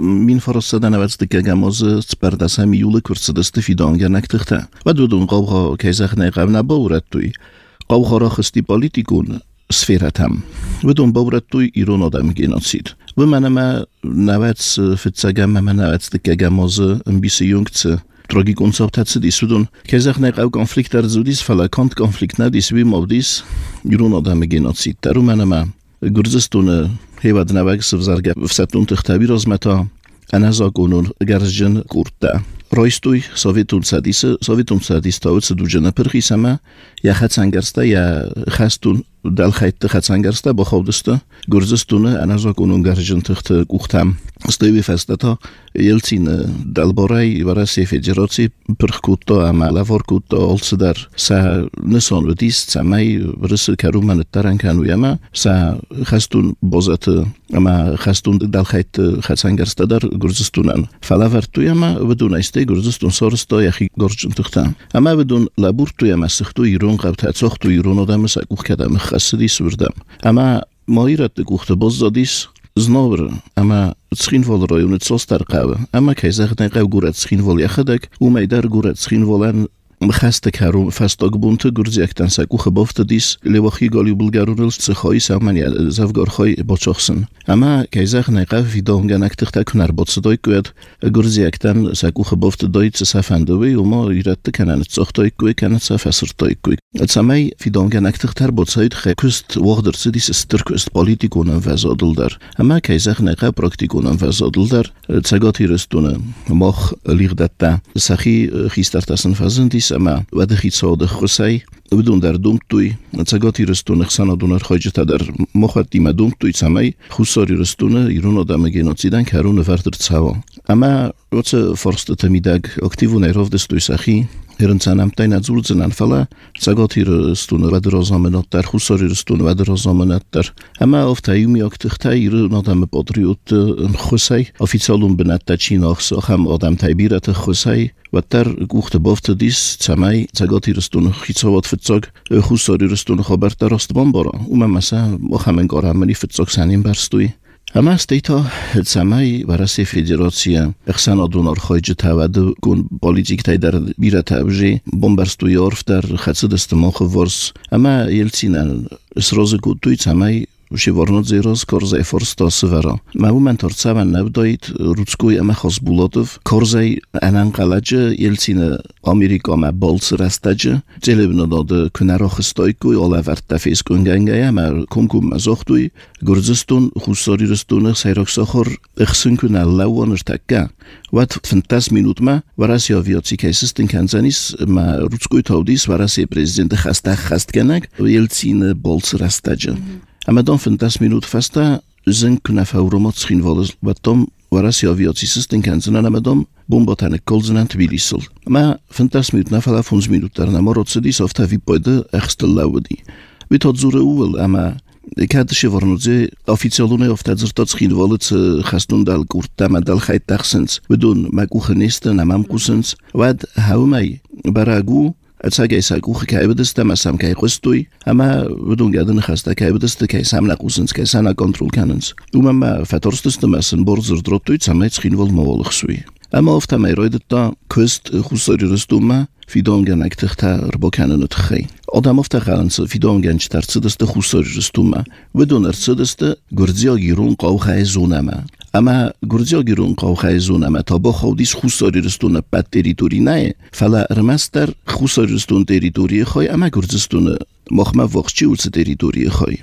مین فرستادن وقت دکگماز سپردسه میول کرسدست فیدانگنک تخته و دودون قوها کیزخ نقب نباورد توی قوها را خستی پالیتیکون سفیرتم و دون باورد توی ایران آدم گیناسید و منم نوت فتسگم من نوت دکگماز بیسی یونگت Drogi konceptace disudun, kezach nek au konflikt zudis fala kant konflikt na disvi mavdis yurun adam genocid. Taru manama Gürcistan hevad navag sevzarga vsatun tkhtabi rozmeta anaza konun garjen kurta. Roistuj Sovetun sadis tauc dujena perkhisama ya khatsangarsta ya khastun dal khayt khatsangarsta ba khawdista Gürcistan anaza konun garjen tkht kuhtam. Stoji festata Yeltsin dalboray varasi federacji perkutto amalavor kutto olsdar sa neson vedis samay vrse karuman tarankanu yama sa khastun bozat ama khastun dal khayt khatsangarsta dar Gürcistanan falavertu yama vedunayste Gürcistan sorsto yaxi gorjun tkht ama vedun laburtu yama sxtu Iran qabta tsoxtu Iran odam sa kuhkadam khasdis vurdam ama moirat kuhta bozzadis Znowr, ama tschinvol rayonu tsostar qawa, ama kayzaqdan qaw gurat tschinvol yaxadak, umaydar gurat tschinvolan مخسته کارم فستاگ بونت گرزیکتن سکو خبافت دیس لواخی گالی بلگارونل سخای سامانی زفگارخای باچخسن. اما کیزخ نقف فیدانگن اکتخت کنار بات صدای کوید گرزیکتن سکو خبافت دایت سفندوی و ما ایراد کنن ساختای کوی کنن سفسرتای کوی. اتسامی فیدانگن اکتخت بات ساید خکست وقدر سدیس استرکست پالیتیکونن فزادل در. اما کیزخ نقف پراکتیکونن فزادل در. تساگاتی رستونه ماخ لیغدتا سخی خیسترتاسن فزندیس اما وده خیصاد خسای بدون در دوم توی تساگاتی رستونه خسنا دونر خواجت در مخاطیم دوم توی سمی خساری رستونه ایران آدم گنوسیدن کارون وردر تساوا اما وقت فرست تمیدگ اکتیو نیروف دستوی سخی هرنسانم تاین ازولزنن فلا تساگاتی رستونه و درازامنات در خساری رستونه و درازامنات در اما افتایمی اکتخته ایران آدم پاتریوت خسای افیسالون بنات تچین آخسا هم آدم تایبیرت خسای و در گوخت بافت دیس تسمی تساگاتی رستونه خیصاوات فتساگ خساری رستونه خبر در استبان بارا اومه مثلا مخمن گارمانی فتساگ سنیم برستوی اما استیتا تسمی ورسی فدراسیا اخسان دونار خارج تاود کن پالیتیک تای در بیرت ابجی بمبرستوی عرف در خدست استماخ ورس اما یلتسینن اسراز کودوی تسمی شیوارنات زیراز کارزای فرستا سورا معمولاً ترسان نبودید روزکوی اما خاص بولادف کارزای انقلاجه یلتسین آمریکا ما بالس رستاجه جلبنا داده کنار خستایکوی آلافرد تفیز کنگنگه اما کمکم مزاختوی گرزستون خساری رستونه سیراکساخر اخسن کنار لوانر تکه وقت 15 minut ما ورسی آویاتی کیسستن کنزانیس ما روزکوی تاودیس ورسی پرزیدنت خست کنگ یلتسین بالس رستاجه اما dan 15 minut fasta zijn knaf auromat schinvalles wat dan warasi aviatie system kanzen na madam bombatane kolzen aan Tbilisel maar 15 minut na fala 5 minut daarna morotsedis of tavi pode erste laudi wit had zure uwel ama ik had shevornoze oficialune of tazertat schinvalles khastun dal kurta madal khayt taxsens we doen makuchenisten amam kusens wat hou mij baragu اتساگی ساگوخ که ایبدسته مسام که خستوی اما بدون گردن خسته که ایبدسته که سام نقوسنس که سنا کنترل کننس اومم ما فترستسته مسن برزر دروتوی سامایت خینول موالخ سوی اما افت میراید تا کست خساری رستومه فیدانگن اکتختار با کنن تخی آدم افت خالنس فیدانگن چترسدسته خساری رستومه بدون ارسدسته گرزیا گیرون قوخه زونمه اما گرزیا گیرون قوخه زونمه تا با خودیس خساری رستونه بد تریتوری نه فلا ارمستر خساری رستون تریتوری خای اما گرزستونه مخمه وقتی ولس تریتوری خای